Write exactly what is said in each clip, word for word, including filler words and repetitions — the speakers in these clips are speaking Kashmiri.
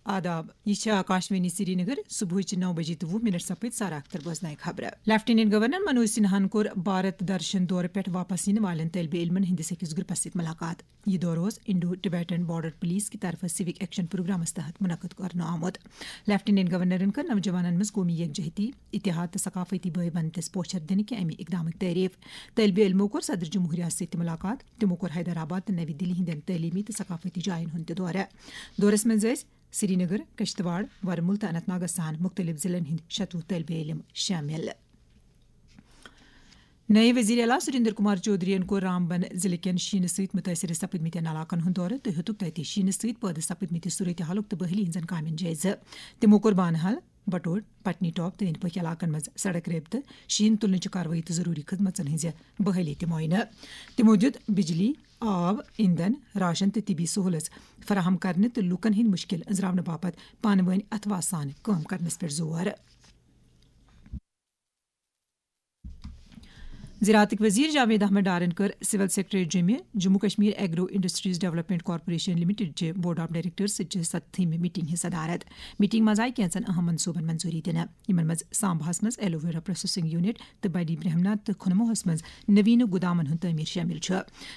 آداب، یہِ چھِ آکاشوانی سرینگر۔ صبحٕچہِ نَو بجے تہٕ وُہ منٹ سپٕدۍ سارا اختر بوزنایہِ خبرٕ۔ لیفٹیننٹ گورنر منوج سنہاہن کوٚر بھارت درشن دورٕ پٮ۪ٹھ واپس یِنہٕ والٮ۪ن طٲلبہِ علمن ہٕنٛدِس أکِس گروپس سۭتۍ ملاقات۔ یہِ دورٕ اوس انڈو ٹبیٹن بارڈر پولیس کہِ طرفہٕ سِوک ایکشن پروگرامس تحت منعقد کرنہٕ آمُت۔ لیفٹیننٹ گورنرن کٔر نوجوانن منٛز قومی یکجہتی، اتحاد تہٕ ثقافتی بٲے بندتس پوچھر دِنہٕ کہِ امہِ اقدامٕچ تعریف۔ طٲلبہِ علمو کوٚر صدر جمہوریہ سۭتۍ تہِ ملاقات۔ تِمو کوٚر حیدرآباد تہٕ نوی دِلی ہٕنٛدٮ۪ن تعلیمی تہٕ ثقافتی جاین ہُنٛد تہِ دورٕ۔ دورس منٛز ٲسۍ سرینگر، کشتواڑ، ورمُل تہٕ اننت ناگس سان مُختٔلِف ضلعن ہٕنٛدۍ شتوُہ طٲلبہِ علم شٲمِل۔ نٔے وزیر اعلیٰ سریندر کمار چودھرین کوٚر رامبن ضلعہٕ کٮ۪ن شیٖنہٕ سۭتۍ مُتٲثِر سپٕدمٕتٮ۪ن علاقن ہُنٛد دورٕ تہٕ ہیوٚتُک تَتہِ شیٖنہٕ سۭتۍ پٲدٕ سپٕدمٕتہِ صورتحالُک تہٕ بحٲلی ہٕنٛزن کامٮ۪ن جٲیزٕ۔ تِمو کوٚر بانہال، بٹوڈ، پٹنی ٹاپ تہٕ أنٛدۍ پٔکھۍ علاقن منٛز سڑک رٲبطہٕ، شیٖن تُلنٕچہِ کاروٲیی تہٕ ضروٗری خدمژن ہٕنٛزِ بحٲلی تہِ معاینہٕ۔ تِمو دِیُت بجلی، آب، ایندھن، راشن تہٕ طبی سہوٗلژ فراہم کرنہٕ تہٕ لوٗکن ہٕنٛدۍ مُشکِل أنٛزراونہٕ باپتھ پانہٕ وٲنۍ اتھوہ سان کٲم کرنس پٮ۪ٹھ زور۔ زراعتٕکۍ وزیر جاوید احمد ڈارن کٔر سول سیکرٹریٹ جوٚمہِ Jammu Kashmir agro industries development corporation limited چہِ بورڈ آف ڈائریکٹرز سۭتۍ چہِ ستتھمہِ میٹنگ ہٕنٛز صدارت۔ میٹنگ منٛز آیہِ کینٛژن اہم منصوبن منظوری دِنہٕ، یِمن منٛز سامباہس منٛز ایلوویرا پروسیسنگ یونٹ تہٕ بڑی برہمنا تہٕ کھنموہس منٛز نوینہٕ گُدامن ہُنٛد تعمیر شٲمِل چھُ۔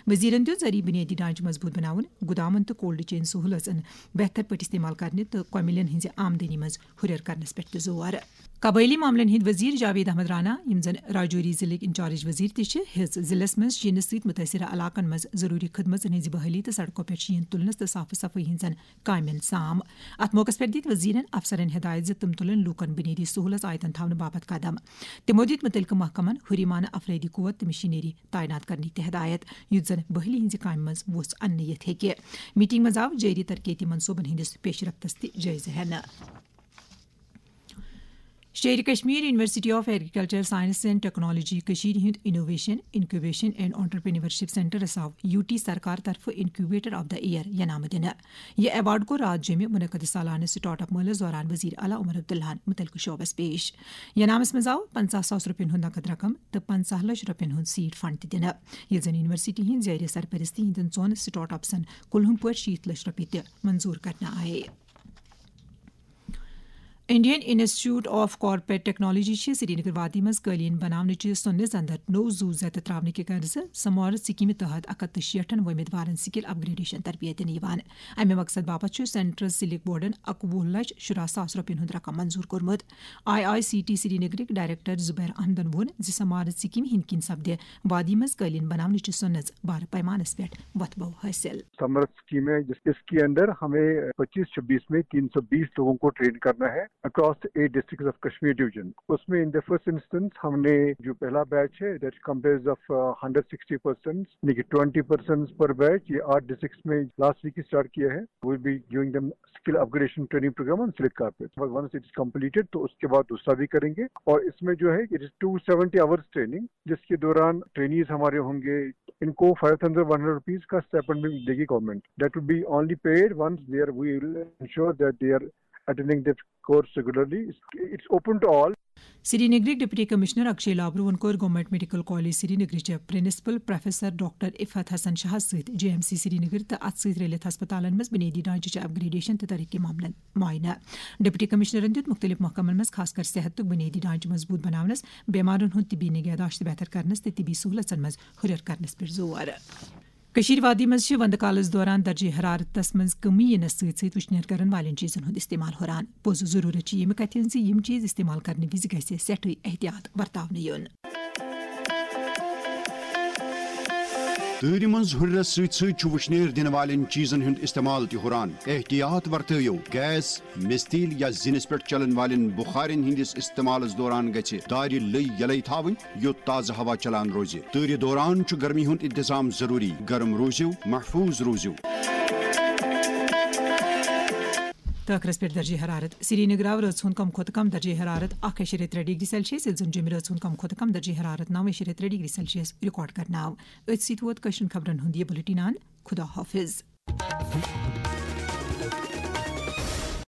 وزیرن دِیُت زرعی بنیٲدی ڈھانچہٕ مضبوٗط بناوُن، گُدامن تہٕ کولڈ چین سہوٗلژن بہتر پٲٹھۍ استعمال کرنہِ تہٕ کۄمِلین ہٕنٛزِ آمدنی منٛز ہُرٮ۪ر کرنس پٮ۪ٹھ تہِ زور۔ قبٲئلی معاملن ہٕنٛدۍ وزیر جاوید احمد رانا، یِم زن راجوری ضلعٕکۍ انچارج وزیر تہِ چھِ، ہیٚژ ضلعس منٛز شیٖنہٕ سۭتۍ مُتٲثرٕ علاقن منٛز ضروٗری خدمژن ہٕنٛزِ بحٲلی تہٕ سڑکو پٮ۪ٹھ شیٖن تُلنس تہٕ صاف صفٲیی ہٕنٛزن کامٮ۪ن سام۔ اتھ موقعس پٮ۪ٹھ دِتۍ وزیرن افسرن ہدایت زِ تِم تُلن لوٗکن بُنیٲدی سہوٗلژ آیتن تھاونہٕ باپتھ قدم۔ تِمو دِتۍ مُتعلقہٕ محکمن ہُریمانہٕ افرٲدی قوت تہٕ مشینری تعینات کرنٕکۍ تہِ ہدایت، یُتھ زن بحٲلی ہٕنٛزِ کامہِ منٛز وُژھ اننہٕ یِتھ ہیٚکہِ۔ میٹنگ منٛز آو جٲری ترقیتی منصوبن ہٕنٛدِس پیش رفتس تہِ جٲیزٕ ہٮ۪نہٕ۔ Sher-e Kashmir university of agriculture science and technology کٔشیٖرِ ہُنٛد انوویشن، انکیوبیشن اینڈ انٹرپرینورشپ سینٹرس آو یوٗ ٹی سرکار طرفہٕ انکیوبیٹر آف دی ایئر انعامہٕ دِنہٕ۔ یہِ ایوارڈ کوٚر راتھ جیٚمہِ منعقد سالانہٕ سٹارٹ اپ مٲلس دوران وزیر اعلیٰ عمر عبداللہن متعلقہٕ شعبس پیش۔ انعامس منٛز آو پنٛژاہ ساس رۄپین ہُنٛد نقد رقم تہٕ پنٛژاہ لچھ رۄپین ہُنٛد سیڈ فنڈ تہِ دِنہٕ، ییٚلہِ زن یونیورسٹی ہٕنٛدۍ زیر سرپرستی ہٕنٛدٮ۪ن ژۄن سٹارٹ اپسن کُلہُم پٲٹھۍ شیٖتھ لچھ رۄپیہِ تہِ منظوٗر کرنہٕ آیہِ۔ Indian institute of corporate technology چھِ سرینگر وادی منٛز قٲلیٖن بناونٕچہِ سۄنہٕ زندر نوٚو زُو زیتہٕ ترٛاونہٕ کہِ غرضہٕ سمارت سکیمہِ تحت اکھ ہتھ تہٕ شیٹھن وۄمیدوارن سکل اپگریڈیشن تربیت دِنہٕ یِوان۔ امہِ مقصد باپتھ چھُ سینٹرل سلک بورڈن اکوُہ لچھ شُراہ ساس رۄپین ہُنٛد رقم منظوٗر کوٚرمُت۔ آئی آئی سی ٹی سرینگرٕکۍ ڈائریکٹر زبیر احمدن ووٚن زِ سمارت سکیمہِ ہٕنٛدۍ کِنۍ سپدِ وادی منٛز قٲلیٖن بناونٕچہِ سۄنہٕ بارٕ پیمانس پٮ۪ٹھ وۄتھٕ بو حٲصِل۔ سمرتھ اسکیم ہے، جس، اس کے अंदर हमें पच्चीस छब्बीस में तीन सौ बीस लोगों को ट्रेन करना है across eight districts of Kashmir division. उसमें in the first instance हमने जो पहला बैच है, that comprised of hundred sixty persons, यानी कि ट्वेंटी पर्सन्स पर बैच। ये आठ डिस्ट्रिक्ट्स में लास्ट वीक ही स्टार्ट किया है। We'll be giving them skill upgradation training program on Slit Carpet। But once it is completed, तो उसके बाद दूसरा भी करेंगे। और इसमें जो है, it is two seventy hours training, जिसके दौरान ट्रेनीज हमारे होंगे, इनको five thousand one hundred rupees का स्टाइपेंड भी देगी government. That will be only paid once they are, we will ensure that they are attending that course regularly. It's open to all. سرینگرٕکۍ ڈپٹی کمشنر اکشے لابروہن کوٚر گورنمنٹ میڈیکل کالج سرینگرٕچ principal professor doctor Iffat Hassan شاہس سۭتۍ جے ایم سی سرینگر تہٕ اتھ سۭتۍ رلِتھ ہسپتالن منٛز بنیٲدی ڈھانچہٕ چہِ اپگریڈیشن تہٕ ترقی معاملن معائنہٕ۔ ڈپٹی کمشنرن دِیُت مُختٔلِف محکمن منٛز خاص کر صحتُک بنیٲدی ڈھانچہٕ مضبوٗط بناونس، بیمارن ہُنٛد طبی نگہداشت بہتر کرنس تہٕ طبی سہوٗلژن منٛز ہُرٮ۪ر کرنس پٮ۪ٹھ زور۔ کٔشیٖر وادی منٛز چھِ وندٕ کالس دوران درجہ حرارتس منٛز کمی یِنس سۭتۍ سۭتۍ وٕشنیر کرن والٮ۪ن چیٖزن ہُنٛد استعمال ہُران۔ پوٚز ضروٗرت چھِ ییٚمہِ کتھِ ہٕنٛز زِ یِم چیٖز استعمال کرنہٕ وِزِ گژھِ سٮ۪ٹھٕے احتیاط ورتاونہٕ یُن۔ تۭرِ منٛز ہُرٮ۪رس سۭتۍ سۭتۍ چھُ وٕشنیر دِنہٕ والٮ۪ن چیٖزن ہُنٛد استعمال تہِ ہُران۔ احتیاط ورتٲیِو۔ گیس، مِستیٖل یا زِنِس پٮ۪ٹھ چلن والٮ۪ن بُخارٮ۪ن ہٕنٛدِس استعمالس دوران گژھِ دارِ لٔے یلے تھاوٕنۍ، یوٚت تازٕ ہوا چلان روزِ۔ تۭرِ دوران چھُ گرمی ہُنٛد انتظام ضروٗری۔ گرم روٗزِو، محفوٗظ روٗزِو۔ تہٕ ٲخرس پٮ۪ٹھ درجہ حرارت۔ سرینگر آو رٲژ ہُنٛد کم کھۄتہٕ کم درجہ حرارت اکھ اعشاریہ ترٛےٚ ڈگری سیلسیس، ییٚلہِ زن جوٚمہِ رٲژ ہُنٛد کم کھۄتہٕ کم درجہ حرارت نو اعشاریہ ترٛےٚ ڈگری سیلسیس ریکارڈ کرنہٕ آو۔ أتھۍ سۭتۍ ووت کٲشرٮ۪ن خبرن ہُنٛد یہِ بُلٹن اند۔ خدا حافظ۔